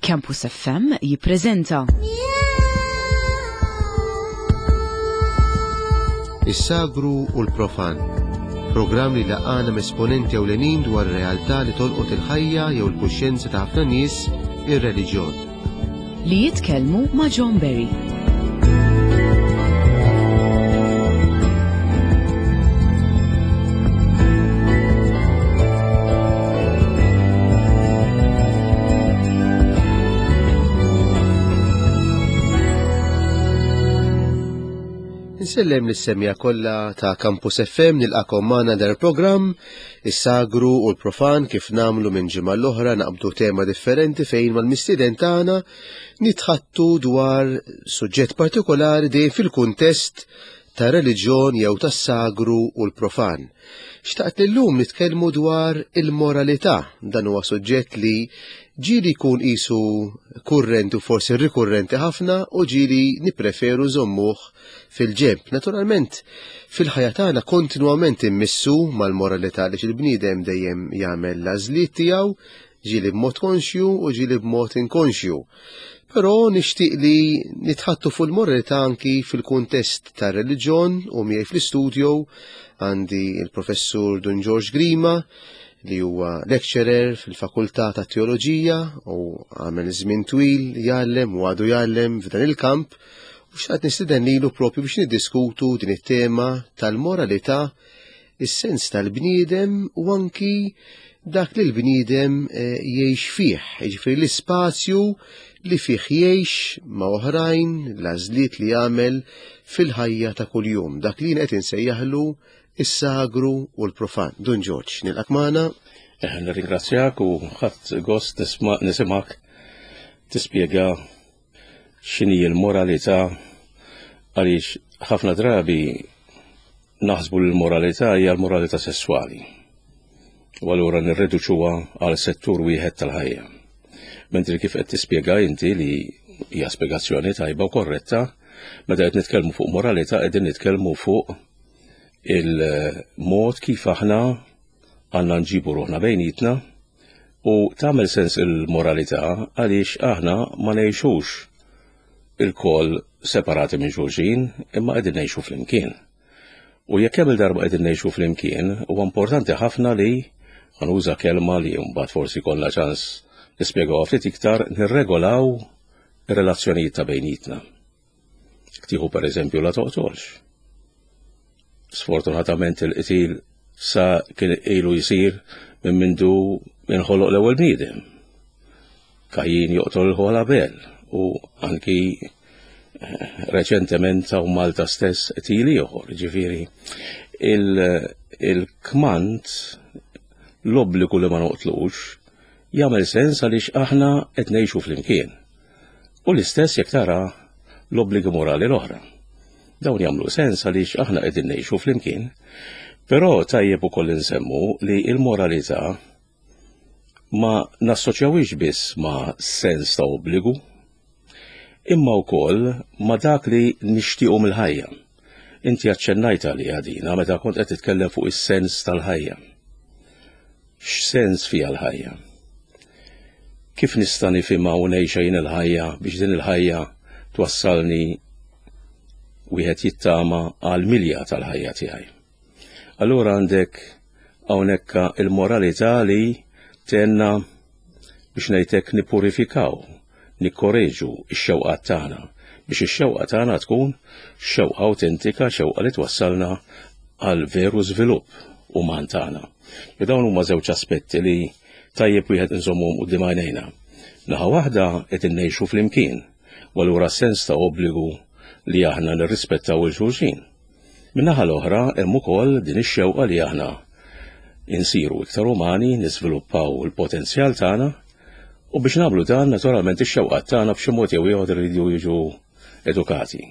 Campus FM jippreżenta. Is-sagru u l-profan. Programm li laqana m'esponenti ewlenin dwar realtà li tolqot il-ħajja jew il-kuxjenza ta' ħafna nies, ir-reliġjon. Li jitkellmu ma' John Berry. Insellem lis-semja kollha ta' Campus FM nilqakom magħna dar programm is-sagru u l-profan kif namlu minn ġimgħa l-oħra naqbdu tema differenti fejn mal-mistieden tagħna nitħattu dwar suġġett partikolari dejjem fil-kuntest ta' reliġjon jew tas-sagru u l-profan. Xtaqt li llum nitkellmu dwar il-moralità. Dan huwa suġġett li ġieli jkun qisu kurrenti u forsi rikurrenti ħafna u ġieli nippreferu żommuh fil-ġenb. Naturalment, fil-ħajja tagħna kontinwament immissu mal-moralità li il-bniedem dejjem jagħmel l-għażliet tiegħu ġieli b'mod konxju u ġieli b'mod inkonxju. Però nixtieq li nitħattu fuq il-moralità anki fil-kuntest tar-reliġjon u miegħi fl-istudio għandi il-professur Dun George Grima li huwa lecturer fil-Fakultà ta' Teoloġija u għamel żmien twil jgħallem u għadu jgħallem f'dan il-kamp u xtaqt nistieden lilu propju biex niddiskutu din it-tema tal-moralità is-sens tal-bniedem u anki dak li l-bniedem eh, jgħix fih, jiġifieri l-ispazju li fih jgħix ma' oħrajn, l-għażliet li jagħmel fil-ħajja ta' kuljum, dak li qed insejjaħlu is-sagru u l-profan. Dun Ġorġ, nilqak magħna. Eh, nirringrazzjak u ħadd gost nisimak tispjega x'inhi l-moralità għaliex ħafna drabi naħsbu li l-moralità hija l-moralità sesswali. U allura nirreduċuha għal settur wieħed tal-ħajja. Mentri kif qed tispjega inti li hija spjegazzjoni tajba u korretta, meta qed nitkellmu fuq moralità qegħdin nitkellmu fuq il-mod kif aħna għandna nġibu ruħna bejnietna u tagħmel sens il-moralità għaliex aħna ma ngħixux ilkoll separati minn xulxin imma qegħdin ngħixu flimkien. U jekk hemm il-darba qegħdin ngħixu flimkien, huwa importanti ħafna li ħanuża kelma li mbagħad forsi kollha ċans nispjegawha ftit iktar nirregolaw ir-relazzjonijiet ta' bejnietna. Tieħu pereżempju la toqtolx. Sfortunatament il-qtil sa kien ilu jsir minn mindu inħoloq l-ewwel bniedem. Kajjin joqtol il-ħol Abel u anki eh, reċentement ta' Malta stess qtil ieħor, ġifieri il-kmand l-obbligu li ma noqtlux jagħmel sens għaliex aħna qed ngħixu flimkien. U l-istess jekk tara l-obbligi morali l-oħra. Dawn jagħmlu sens għaliex aħna qegħdin ngħixu flimkien, però tajjeb ukoll insemmu li l-moralità ma nassoċjawhiex biss ma' sens ta' obbligu, imma wkoll ma' dak li nixtiequ mill-ħajja. Inti aċċennajt għaliha dina meta kont qed titkellem fuq is-sens tal-ħajja. X'sens fiha l-ħajja? Kif nista' nifhimha u ngħixha jien il-ħajja biex din il-ħajja twassalni wieħed jittama għal milja tal-ħajja tiegħi? Allura għandek hawnhekk il-moralità li tenna biex ngħidlek nipurifikaw, nikkoreġu x-xewqat tagħna biex ix-xewqa tagħna tkun xewqa awtentika, xewqa li twassalna għal veru żvilupp uman tagħna. Li dawn huma żewġ aspetti li tajjeb wieħed inżommhom quddiem għajnejna. Naħa waħda qed innejxu flimkien, u allura sens ta' obbligu li aħna nirrispettaw il-xulxin. Min-naħa l-oħra hemm ukoll din ix-xewqa li aħna insiru iktar umani, niżviluppaw il-potenzjal tagħna u biex nagħmlu dan naturalment ix-xewqat tagħna b'xi mod jew ieħor iridu jiġu edukati.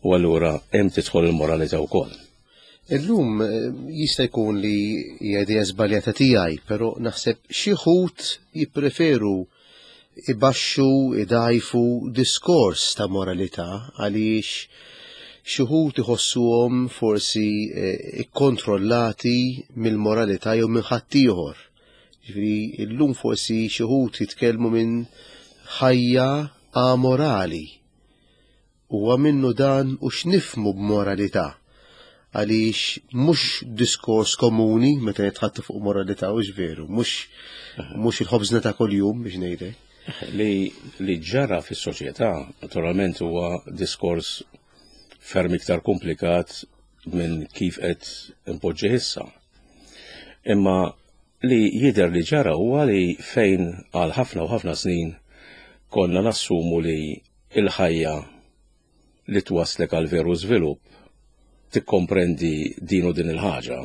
U allura hemm tidħol il-moralità wkoll. Illum eh, jista' jkun li hija idea żbaljata tiegħi, però naħseb xi ħut jippreferu ibaxxu, idgħajfu diskors ta' moralità għaliex xi wħud iħossuhom forsi eh, ikkontrollati mill-moralità jew minn ħaddieħor. Ġifieri llum forsi xi wħud jitkellmu minn ħajja amorali. Huwa minnu dan u x'nifhmu b'moralità? Għaliex mhux diskors komuni meta nitħattu fuq moralità u veru, mhux mhux il-ħobżna ta' kuljum biex ngħidlek. Li li ġara fis-soċjetà naturalment huwa diskors ferm iktar komplikat minn kif qed impoġġi issa. Imma li jidher li ġara huwa li fejn għal ħafna u ħafna snin konna nassumu li il-ħajja li twaslek għal veru żvilupp tikkomprendi din u din il-ħaġa,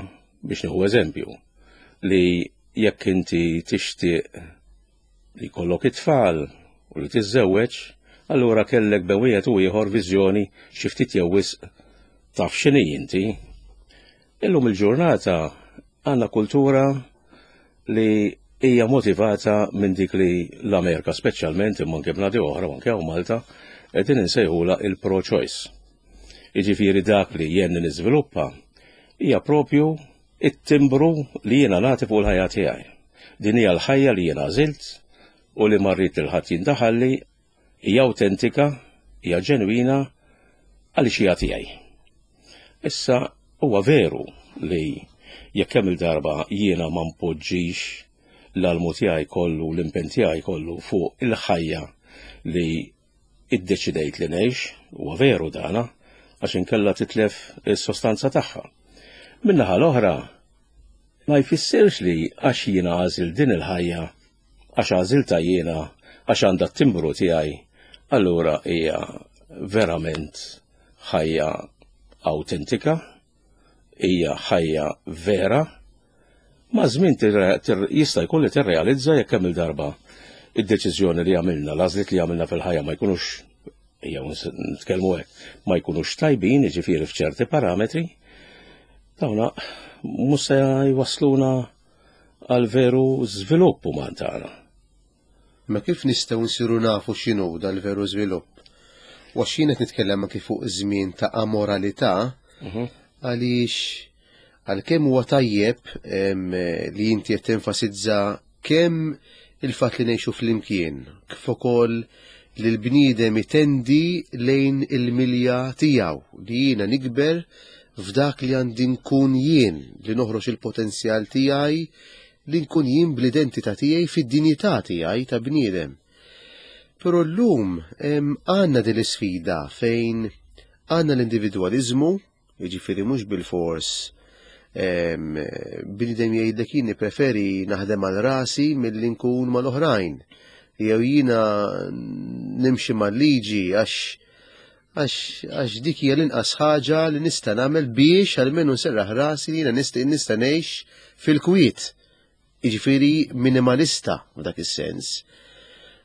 biex nieħu eżempju, li jekk inti tixtieq li jkollok it-tfal u li tiżżewweġ, allura kellek bejn wieħed u ieħor viżjoni xi ftit jew wisq taf x'inhi inti. Illum il-ġurnata għandna kultura li hija motivata minn dik li l-Amerika speċjalment imma anke bnadi oħra u anke hawn Malta qegħdin insejħula il-pro-choice. Jiġifieri dak li jien niżviluppa hija propju it-timbru li jiena nagħti fuq il-ħajja tiegħi. Din hija l-ħajja li jiena għażilt u li ma rrid lil ħadd jindaħalli, hija awtentika, hija ġenwina għaliex hija tiegħi. Issa huwa veru li jekk kemm il-darba jiena ma npoġġix l-almu tiegħi kollu, l-impenn tiegħi kollu fuq il-ħajja li iddeċidejt li ngħix, huwa veru dana, għax inkella titlef is-sostanza tagħha. Min-naħa l-oħra, ma jfissirx li għax jiena għażilt din il-ħajja, għax għażiltha jiena, għax għandha t-timbru tiegħi, allura hija verament ħajja awtentika, hija ħajja vera, maż-żmien jista' jkun li tirrealizza jekk kemm il-darba id-deċiżjoni li għamilna, l-għażliet li għamilna fil-ħajja ma jkunux jew nitkellmu hekk, ma jkunux tajbin, jiġifieri f'ċerti parametri, dawna mhux se jwassluna għal veru żvilupp uman tagħna. Imma kif nistgħu nsiru nafu x'inhu dal-veru żvilupp? U għax jien qed nitkellem anki fuq żmien ta' amoralità, mhm. għaliex għalkemm huwa tajjeb li inti qed tenfasizza kemm il-fatt li ngħixu flimkien, kif ukoll li l-bniedem itendi lejn il-milja tiegħu li jiena nikber f'dak li għandi nkun jien, li noħroġ il-potenzjal tiegħi li nkun jien bl-identità tiegħi fid-dinjità tiegħi ta' bniedem. Però llum għandna din l-isfida fejn għandna l-individwaliżmu, jiġifieri mhux bilfors bniedem jgħidlek jien nippreferi naħdem għal rasi milli nkun mal-oħrajn. Jew jiena nimxi mal-liġi għax għax dik hija l-inqas ħaġa li nista' nagħmel biex almenu nserraħ rasi li jiena nista' nista' ngħix fil-kwiet. Jiġifieri minimalista f'dak is-sens.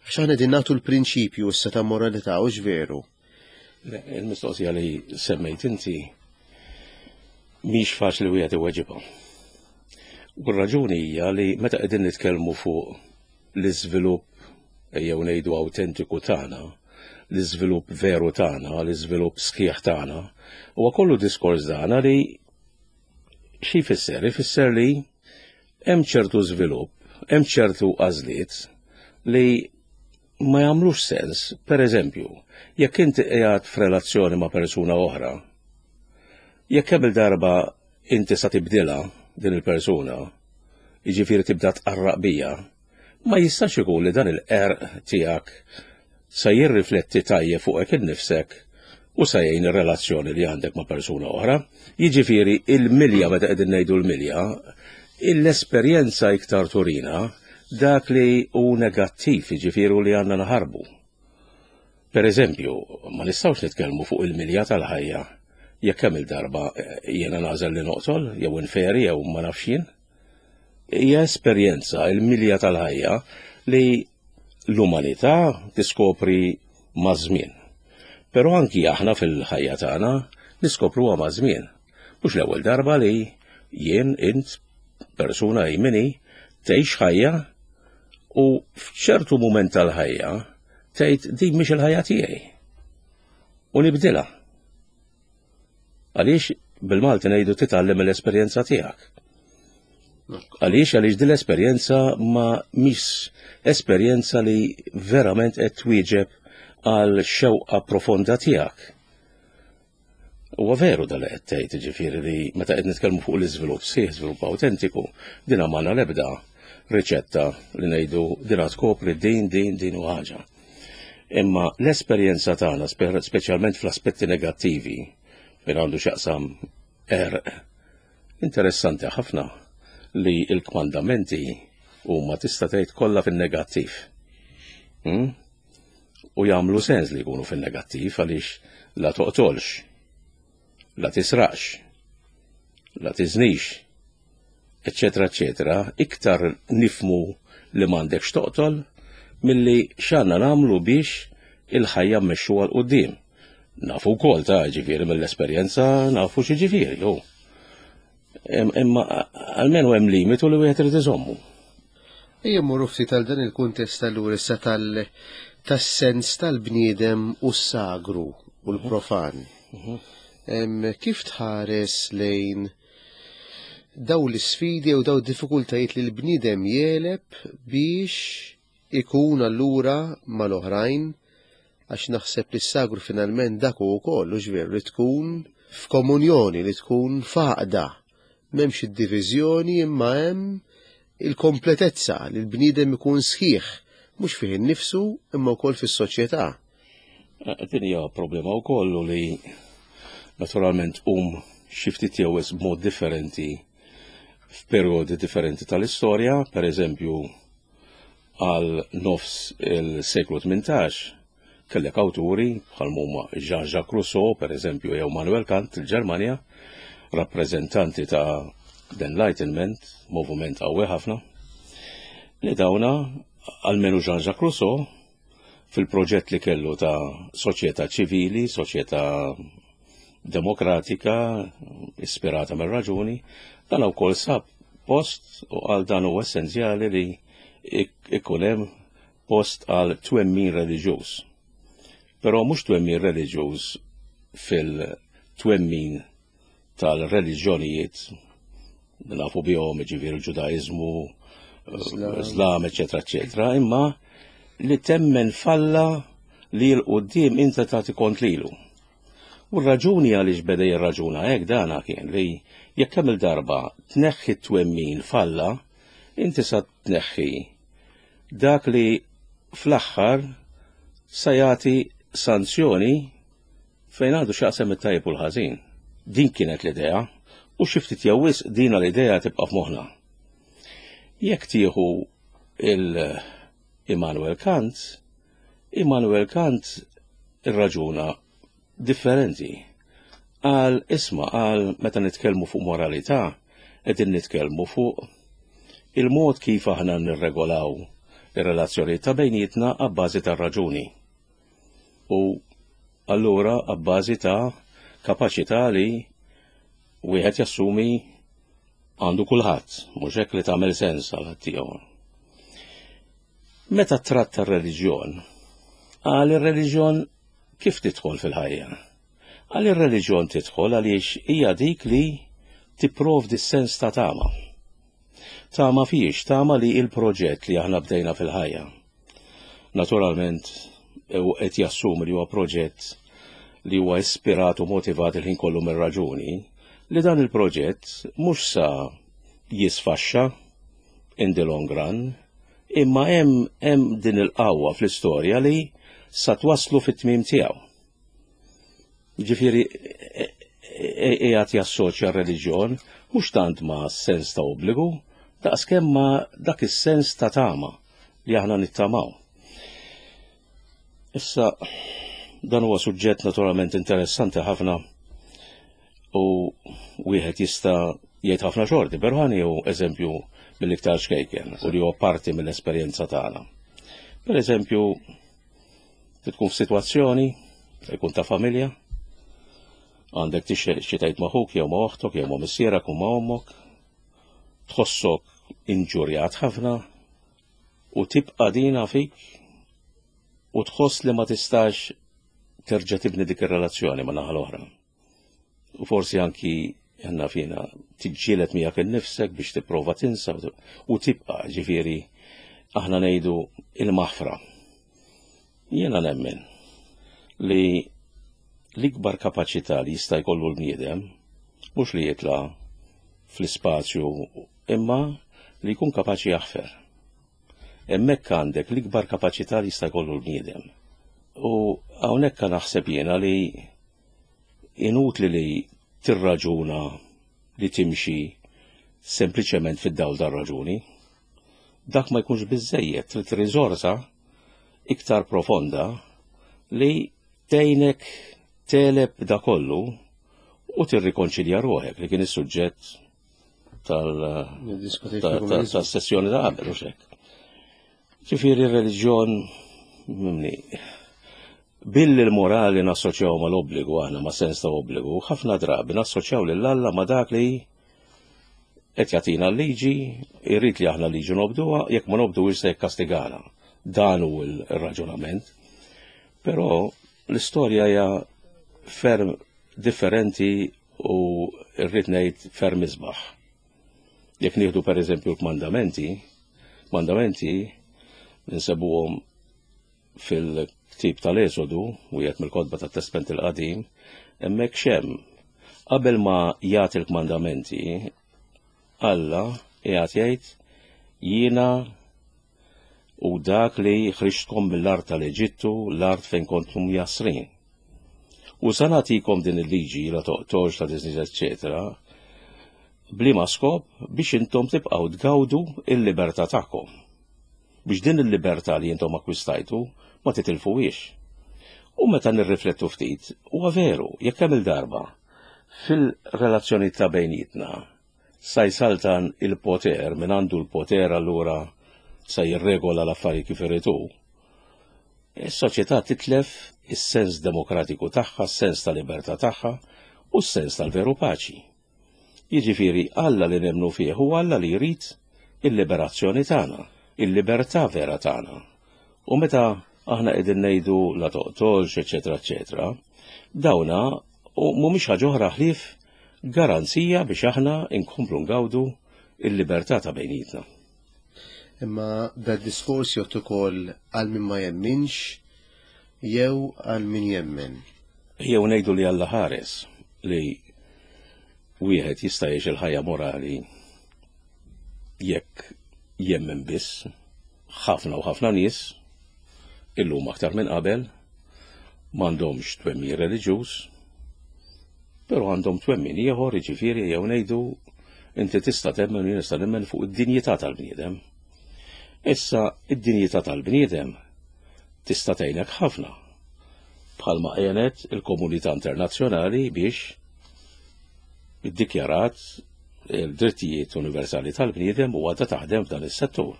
Għax aħna qegħdin nagħtu l-prinċipju issa ta' moralità u veru. Il-mistoqsija li semmejt inti mhix faċli wieħed iweġibha. U r-raġuni hija li meta qegħdin nitkellmu fuq l-iżvilupp ejjew ngħidu awtentiku tagħna, l-iżvilupp veru tagħna, l-iżvilupp sħiħ tagħna, huwa kollu diskors dana li xi jfisser? Ifisser li hemm ċertu żvilupp, hemm ċertu għażliet li ma jagħmlux sens. Per eżempju, jekk inti qiegħed f'relazzjoni ma' persuna oħra, jekk kemm il-darba inti sa tibdilha din il-persuna, jiġifieri tibda tqarraq bija, ma jistax ikun li dan il-qerq tiegħek sa jirrifletti tajjeb fuqek innifsek u sa jgħin ir-relazzjoni li għandek ma' persuna oħra. Jiġifieri il-milja meta qegħdin ngħidu l-milja, l-esperjenza iktar turina dak li hu negattiv, jiġifieri li għandna naħarbu. Per eżempju, ma nistgħux nitkellmu fuq il-milja tal-ħajja jekk kemm il-darba eh, jiena nagħżel li noqtol, jew inferi, jew ma nafx jien. Hija esperjenza il-milja tal-ħajja li l-umanità tiskopri maż-żmien. Però anki aħna fil-ħajja tagħna niskopruha maż-żmien. Mhux l-ewwel darba li jien int persuna jmini tgħix ħajja u f'ċertu mument tal-ħajja tgħid din mhix il-ħajja tiegħi. U nibdilha. Għaliex bil-Malti ngħidu titgħallem mill-esperjenza tiegħek. Għaliex għaliex din l-esperjenza ma mhix esperjenza li verament qed twieġeb għal xewqa profonda tiegħek. Huwa veru dal qed tgħid, ġifieri li meta qed nitkellmu fuq l-iżvilupp sħiħ, żvilupp awtentiku, din m'għandna l-ebda riċetta li ngħidu din tkopri din, din, din u ħaġa. Imma l-esperjenza tagħna, speċjalment fl-aspetti negattivi, fejn għandu x'jaqsam erq, interessanti ħafna li l-kmandamenti huma tista' tgħid kollha fin-negattiv. Hmm? U jagħmlu sens li jkunu fin-negattiv għaliex la toqtolx, la tisraqx, la tiżnix, eċetera, eċetera, iktar nifmu li m'għandekx toqtol milli x'għandna nagħmlu biex il-ħajja mmexxuha 'l quddiem. Nafu wkoll ta' ġifieri mill-esperjenza nafu xi ġifieri, hu. Imma almenu hemm limitu li wieħed irid iżommu. Ejja mmorru ftit għal dan il-kuntest allura issa tal tas-sens tal-bniedem u s-sagru u l-profan. Mhm. Kif tħares lejn daw l-isfidi u daw diffikultajiet li l-bniedem jeleb biex ikun allura mal-oħrajn għax naħseb li s-sagru finalment dak hu wkoll, hux veru, li tkun f'komunjoni, li tkun f'għaqda. M'hemmx id-diviżjoni imma hemm il-kompletezza li l-bniedem ikun sħiħ, mhux fih innifsu imma wkoll fis-soċjetà. Eh, din hija problema wkoll li naturalment um xi ftit jew b'mod differenti f'perjodi differenti tal-istorja, per eżempju Għal nofs il-seklu 18 kellek awturi bħal huma Jean-Jacques Rousseau, per eżempju, jew Manuel Kant, il-Ġermanja, rappreżentanti ta' the Enlightenment, moviment qawwi ħafna, li dawna, almenu Jean-Jacques Rousseau, fil-proġett li kellu ta' soċjetà ċivili, soċjetà demokratika, ispirata mir-raġuni, dan wkoll sab post u għal dan huwa essenzjali li ikun hemm post għal twemmin reliġjuż. Però mhux twemmin reliġjuż fil-twemmin tal-reliġjonijiet nafu bihom ġifieri l-Ġudaiżmu, Islam, eċetera, eċetera, imma li temmen falla li l-qudiem inta tagħti kont lilu. U r-raġuni għaliex beda jirraġuna hekk dana kien li jekk kemm il-darba tneħħi t-twemmin falla, inti sa tneħħi dak li fl-aħħar sa jagħti sanzjoni fejn għandu x'jaqsam it-tajjeb u l-ħażin. Din kienet l-idea u xi ftit jew wisq dina l-idea tibqa' f'moħħna. Jekk tieħu il-Immanuel Kant, Immanuel Kant irraġuna differenti. Qal isma' qal meta nitkellmu fuq moralità qegħdin nitkellmu fuq il-mod kif aħna nirregolaw ir-relazzjonijiet ta' bejnietna abbażi tar-raġuni. U allura abbażi ta' kapaċità li wieħed jassumi għandu kulħadd, mhux hekk li tagħmel sens għal ħaddieħor. Meta tratta r-reliġjon, qal ir-reliġjon kif tidħol fil-ħajja? Qal ir-reliġjon tidħol għaliex hija dik li tipprovdi s-sens ta' tama. Tama fiex, tama li il-proġett li aħna bdejna fil-ħajja. Naturalment, u qed jassumi li huwa proġett li huwa ispirat u motivat il-ħin kollu mir-raġuni, li dan il-proġett mhux sa jisfaxxa in the long run, imma hemm hemm din il-qawwa fl-istorja li sa twaslu fit-tmiem tiegħu. Ġifieri qiegħed jassoċja r-reliġjon mhux tant ma' sens ta' obbligu, daqskemm ma' dak is-sens ta' tama li aħna nittamaw. Issa dan huwa suġġett naturalment interessanti ħafna u wieħed jista' jgħid ħafna xorti, però ħani hu eżempju mill-iktar xkejken u li huwa parti mill-esperjenza tagħna. Per eżempju, tkun f'sitwazzjoni, ikun ta' familja, għandek tixtieq xi tgħid ma' ħuk jew ma' oħtok jew ma' missierek u ma' ommok, tħossok inġurjat ħafna u tibqa' dina fik u tħoss li ma tistax terġa' tibni dik ir-relazzjoni ma' naħa l-oħra. U forsi anki Għanna fina tiġġieled miegħek innifsek biex tipprova tinsa u tibqa' ġifieri aħna ngħidu il-maħfra. Jiena nemmen li l-ikbar kapaċità li jista' jkollu l-bniedem mhux li jitla' fl-ispazju imma li jkun kapaċi jaħfer. Hemmhekk għandek l-ikbar kapaċità li jista' jkollu l-bniedem. U hawnhekk naħseb jiena li inutli li tirraġuna li timxi sempliċement fid-dawl tar-raġuni. Dak ma jkunx biżejjed, trid riżorsa iktar profonda li tgħinek teleb da kollu u tirrikonċilja ruħek li kien is-suġġett tal-sessjoni ta' qabel u xek. Ġifieri r-reliġjon mimni billi l-morali nassoċjaw mal-obbligu aħna ma' sens ta' obbligu, ħafna drabi nassoċjaw lil Alla ma' dak li qed jagħtina l-liġi, irrid li aħna liġi nobduha, jekk ma nobduhiex se jikkastigana. Dan hu l-raġunament. Però l-istorja hija ferm differenti u rrid ngħid ferm isbaħ. Jekk nieħdu pereżempju l-kmandamenti, kmandamenti nsebuhom fil-ktib tal-Esodu, wieħed mill-kotba tat-Testment il-Qadim, hemmhekk xem. Qabel ma jagħti l-kmandamenti, Alla qiegħed jgħid jiena u dak li ħriġtkom mill-art tal-Eġittu, l-art fejn kontum jasrin. U sa nagħtikom din il-liġi la toqtolx, la tiżniġ, eċċetera, bliema skop biex intom tibqgħu tgawdu il-libertà tagħkom. Biex din il-libertà li intom akkwistajtu ma titilfuhiex. U meta nirriflettu ftit, huwa veru, jekk hemm il-darba fil-relazzjoni ta' bejnietna sa jsaltan il-poter, min għandu l-poter allura sa jirregola l-affarijiet kif irid hu. Is-soċjetà titlef is-sens demokratiku tagħha, s-sens ta' libertà tagħha u s-sens tal-veru paċi. Jiġifieri Alla li nemmnu fih hu Alla li jrid il-liberazzjoni tagħna, il-libertà vera tagħna. U meta aħna qegħdin ngħidu la toqtolx, eċetera, eċetera, dawna u mhumiex ħaġa oħra ħlief garanzija biex aħna nkomplu ngawdu il-libertà ta' bejnietna. Imma da diskors jgħod ukoll għal min ma jemminx jew għal min jemmen. Jew ngħidu li Alla ħares li wieħed jista' jgħix il-ħajja morali jekk jemmen biss ħafna u ħafna nies illum aktar minn qabel m'għandhomx twemmin reliġjuż, però għandhom twemmin ieħor, jiġifieri jew ngħidu inti tista' temmen u jien nista' nemmen fuq id-dinjità tal-bniedem. Issa id-dinjità tal-bniedem tista' tgħinek ħafna bħalma għenet il-komunità internazzjonali biex iddikjarat il-drittijiet universali tal-bniedem u għadha taħdem f'dan is-settur.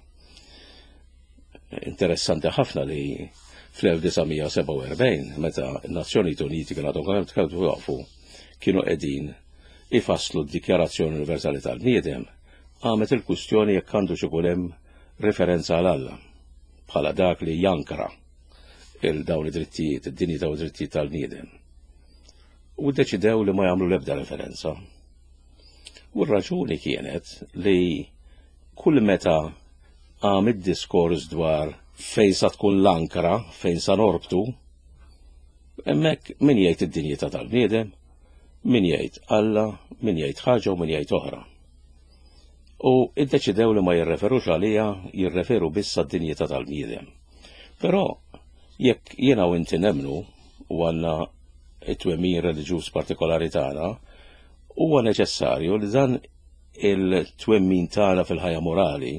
Interessanti ħafna li fl-1947 meta n-Nazzjonijiet Uniti kienu għadhom kemm tkellmu waqfu kienu qegħdin ifasslu d-Dikjarazzjoni Universali tal-Bniedem, qamet il-kwistjoni jekk għandu ikun hemm referenza għal Alla bħala dak li jankra il dawn id-drittijiet, id-dinjità u drittijiet tal-bniedem. U ddeċidew li ma jagħmlu l-ebda referenza. U r-raġuni kienet li kull meta qam id-diskors dwar fejn sa tkun l-ankra, fejn sa norbtu, hemmhekk min jgħid id-dinjità tal-bniedem, min jgħid Alla, min jgħid ħaġa u min jgħid oħra. U iddeċidew li ma jirreferux għalija, jirreferu biss għad-dinjità tal-bniedem. Però jekk jiena u inti nemnu u għandna it-twemmin reliġjuż partikolari tagħna, huwa neċessarju li dan il-twemmin tagħna fil-ħajja morali,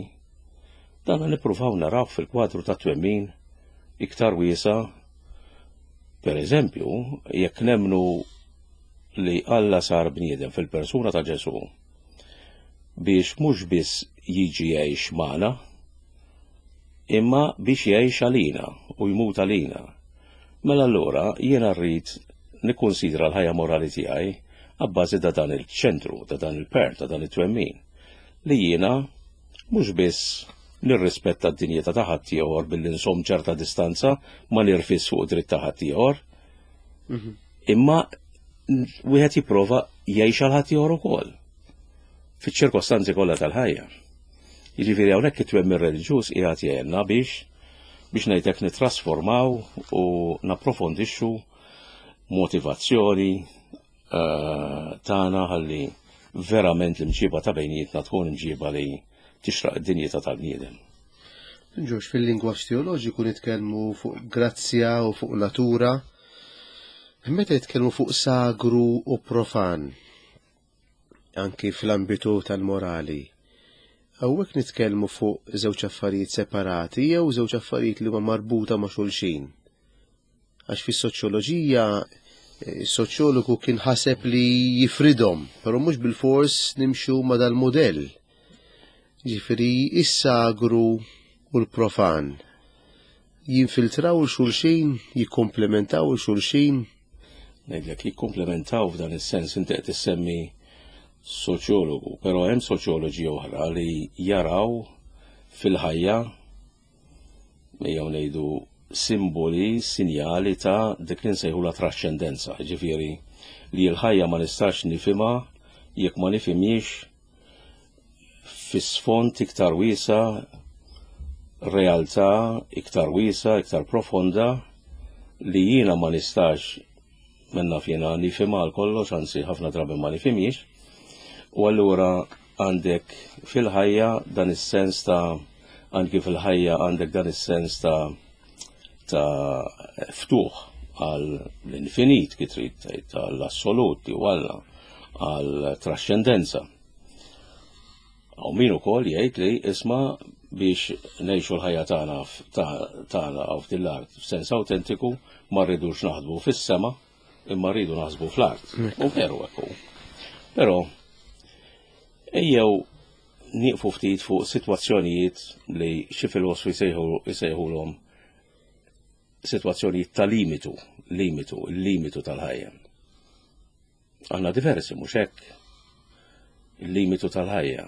dan nippruvaw naraw fil-kwadru ta' twemmin iktar wiesa. Per eżempju, jekk nemnu li Alla sar bniedem fil-persuna ta' Ġesù biex mhux biss jiġi jgħix magħna, imma biex jgħix għalina u jmut għalina. Mela allura jiena rrid nikkunsidra l-ħajja morali tiegħi abbażi ta' dan il-ċentru, ta' dan il-per, ta' dan it-twemmin, li jiena mhux biss nirrispetta d-dinjità ta' ħaddieħor billi nsom ċerta distanza ma nirfis fuq dritt ta' ħaddieħor, mhm. imma wieħed jipprova jgħix għal ħaddieħor ukoll fiċ-ċirkostanzi kollha tal-ħajja. Jiġifieri hawnhekk it-twemmin reliġjuż qiegħed jgħinna biex biex ngħidlek nittrasformaw u napprofondixxu motivazzjoni eh, tagħna ħalli verament l-imġiba ta' bejnietna tkun imġiba li tixraq id-dinjità tal-bniedem. Ġorġ, fil-lingwaġġ teoloġiku nitkellmu fuq grazzja u fuq natura. Meta jitkellmu fuq sagru u profan, anki fl-ambitu tal-morali, hawnhekk nitkellmu fuq żewġ affarijiet separati jew żewġ affarijiet li huma marbuta ma' xulxin. Għax fis-soċjoloġija is-soċjologu kien ħaseb li jifridhom, però mhux bilfors nimxu ma' dal-mudell. Ġifieri is-sagru u l-profan jinfiltraw 'l xulxin, jikkomplementaw 'l xulxin. Ngħidlek jikkomplementaw f'dan is-sens inti qed issemmi soċjologu, però hemm soċjoloġi oħra li jaraw fil-ħajja ejjew ngħidu simboli, sinjali ta' dik li nsejħulha traxxendenza, ġifieri li l-ħajja ma nistax nifhimha jekk ma nifhimhiex fi sfond iktar wiesa, realtà iktar wiesa, iktar profonda li jiena ma nistax minna fjena nifhimha għal kollox, anzi ħafna drabi ma nifhimhiex. U allura għandek fil-ħajja dan is-sens ta' anki fil-ħajja għandek dan is-sens ta' ta' ftuħ għal l-infinit kif trid tgħid għall-assolut jew Alla għal trascendenza. Hawn min ukoll jgħid li isma' biex ngħixu l-ħajja tagħna tagħna hawn f'din l-art f'sens awtentiku ma rridux naħdmu fis-sema imma rridu naħsbu fl-art. U veru hekk hu. Però ejjew nieqfu ftit fuq sitwazzjonijiet li xi filosfi jsejħulhom sitwazzjonijiet ta' limitu, limitu, il-limitu tal-ħajja. Għandna diversi mhux hekk. Il-limitu tal-ħajja.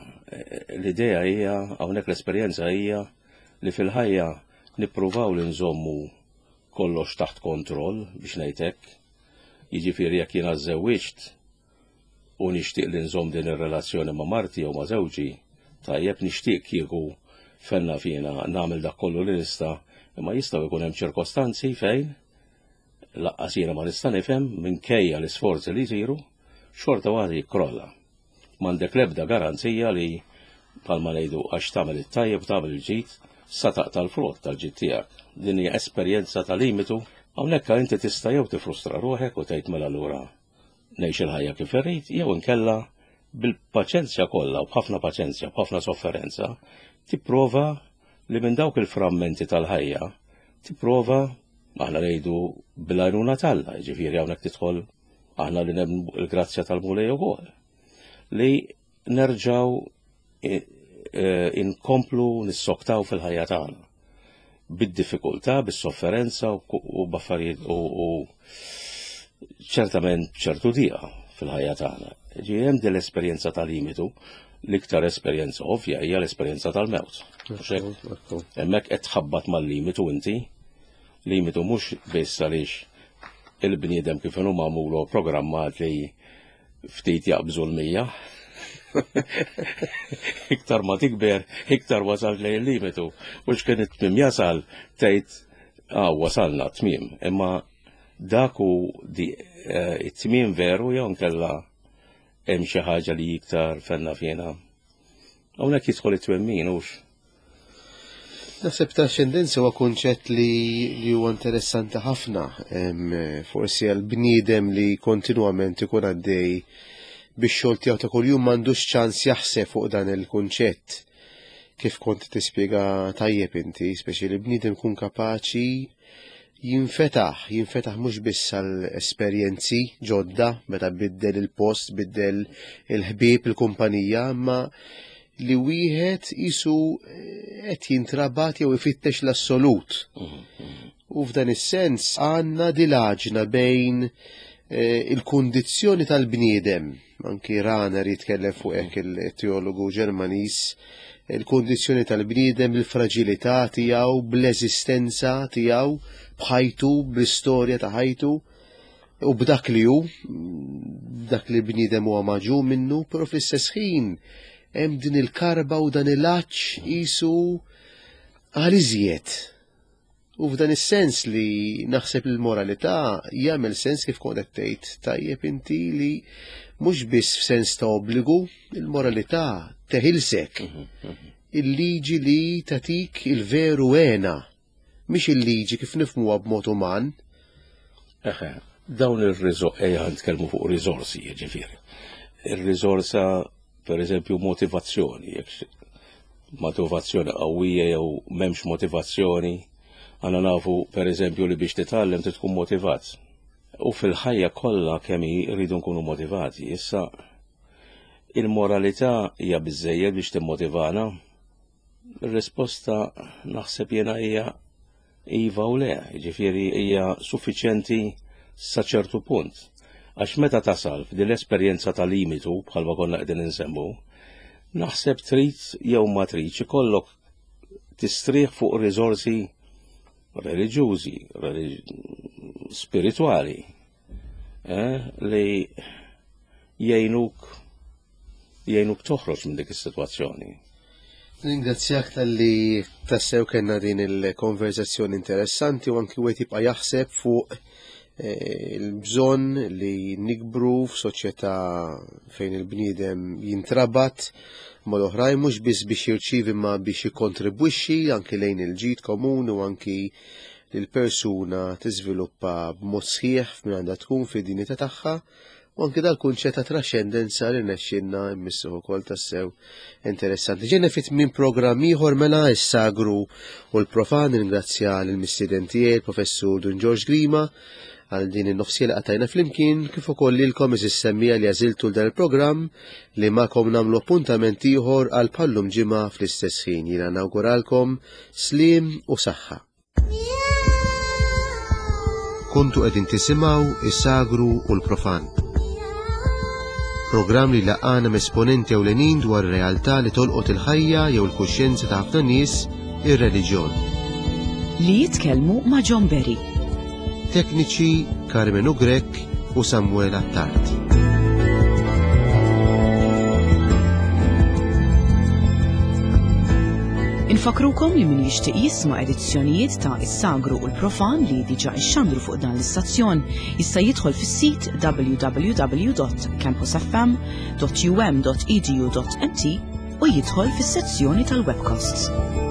L-idea hija hawnhekk l-esperjenza hija li fil-ħajja nippruvaw li nżommu kollox taħt kontroll biex ngħid hekk. Jiġifieri jekk jiena żżewwiġt u nixtieq li nżomm din ir-relazzjoni ma' marti jew ma' żewġi, tajjeb nixtieq kieku fenna fina nagħmel dak kollu li nista' imma jistgħu jkun hemm ċirkostanzi fejn laqqas jiena ma nista' nifhem minkejja l-isforzi li jsiru, xorta waħda jikkrolla. M'għandek l-ebda garanzija li bħalma ngħidu għax tagħmel it-tajjeb u tagħmel il-ġid sa taqta' l-frott tal-ġid tiegħek. Din hija esperjenza ta' limitu. Hawnhekk inti tista' jew tifrustra ruħek u tgħid mela lura ngħix il-ħajja kif irrid, jew inkella bil-paċenzja kollha u b'ħafna paċenzja, b'ħafna sofferenza, tipprova li minn dawk il-frammenti tal-ħajja tipprova aħna ngħidu bil-għajnuna t'Alla, jiġifieri hawnhekk tidħol aħna li nemmnu il-grazzja tal-Mulej ukoll, li nerġgħu e, e, inkomplu nissoktaw fil-ħajja tagħna bid-diffikultà, bis-sofferenza u b'affarijiet u ċertament ċertu dieqa fil-ħajja tagħna. Ġi hemm din l-esperjenza ta' limitu, l-iktar esperjenza ovvja hija l-esperjenza tal-mewt. Hemmhekk qed tħabbat mal-limitu inti, limitu mhux biss għaliex il-bniedem kif inhu magħmulu programmat li ftit jaqbżu l-mija. Iktar ma tikber, iktar wasalt lejn il-limitu. U x'kien it-tmiem jasal tgħid ah wasalna tmiem, imma dak hu eh, it-tmiem veru jew nkella hemm xi ħaġa li iktar fenna fina. Hawnhekk jidħol it-twemmin hux. Naħseb trascendenza huwa kunċett li, li huwa interessanti ħafna, forsi għal bniedem li kontinwament ikun għaddej biex xogħol tiegħu ta' kuljum m'għandux ċans jaħseb fuq dan il-kunċett. Kif kont tispjega tajjeb inti, speċi li bniedem kun kapaċi jinfetaħ, jinfetaħ mhux biss għal esperjenzi ġodda meta biddel il-post, biddel il-ħbieb, il-kumpanija, imma li wieħed isu eh, qed jintrabat jew ifittex l-assolut. U f'dan is-sens għandna dilaġna bejn eh, il-kundizzjoni tal-bniedem, anki Rahner jitkellem fuq hekk il-teologu Ġermaniż, il-kundizzjoni tal-bniedem, il-fraġilità tiegħu, bl-eżistenza tiegħu, b'ħajtu, bl-istorja ta' ħajtu. u b'dak li hu, dak li bniedem huwa maġu minnu, però fl-istess ħin hemm din il-karba u dan il-għatx qisu għal iżjed. U f'dan is-sens li naħseb li l-moralità jagħmel sens kif kont qed tgħid tajjeb inti li mhux biss f'sens ta' obbligu, il-moralità teħilsek. Il-liġi li tatik il-veru għena, mhix il-liġi kif nifhmuha b'mod uman. Eħe, dawn ir-riżorsi, ejja nitkellmu fuq riżorsi, jiġifieri. Ir-riżorsa, per eżempju, motivazzjoni, jekk motivazzjoni qawwija jew m'hemmx motivazzjoni, għandna nafu per eżempju li biex titgħallem trid tkun motivat. U fil-ħajja kollha kemm hi rridu nkunu motivati. Issa il-moralità hija biżżejjed biex timmotivana? Ir-risposta naħseb jiena hija iva u le, jiġifieri hija suffiċjenti sa ċertu punt. Għax meta tasal f'din l-esperjenza ta' limitu bħalma konna qegħdin insemmu, naħseb trid jew ma tridx ikollok tistrieħ fuq riżorsi reliġjużi, spiritwali, eh, li jgħinuk jgħinuk toħroġ minn dik is-sitwazzjoni. Ringrazzjak tal-li tassew kellna din il-konverzazzjoni interessanti u anki wieħed jibqa' jaħseb fuq eh, il-bżonn li nikbru f'soċjetà fejn il-bniedem jintrabat mal-oħrajn mhux biss biex jirċievi ma biex jikkontribwixxi anki lejn il-ġid komuni u anki li l-persuna tiżviluppa b'mod sħiħ f'min għandha tkun fid-dinjità tagħha u anki dal-kunċett ta' traxxendenza li rnexxielna mmissuh ukoll tassew interessanti. Ġejna fit minn programm ieħor mela is-sagru u l-profan ringrazzja lill-mistieden tiegħi il-Professur Dun Ġorġ Grima għal din in-nofsija li qatajna flimkien kif ukoll lilkom eżis semmija li għażiltu l dan il-programm li magħkom nagħmlu appuntament ieħor għal bħallum ġimgħa fl-istess ħin. Jiena nawguralkom sliem u saħħa. Kontu qegħdin tisimgħu is-sagru u l-profan. Programm li laqana m'esponenti ewlenin dwar realtà li tolqot il-ħajja jew il-kuxjenza ta' ħafna nies, ir-reliġjon. Li jitkellmu ma' John Berry. Tekniċi Carmenu Grech u Samuel Attard. Infakrukom li min jixtieq jisma' edizzjonijiet ta' Is-Sagru u l-Profan li diġà ixxandru fuq dan l-istazzjon jista' jidħol fis-sit www.campusfm.um.edu.mt u jidħol fis-sezzjoni tal-webcasts.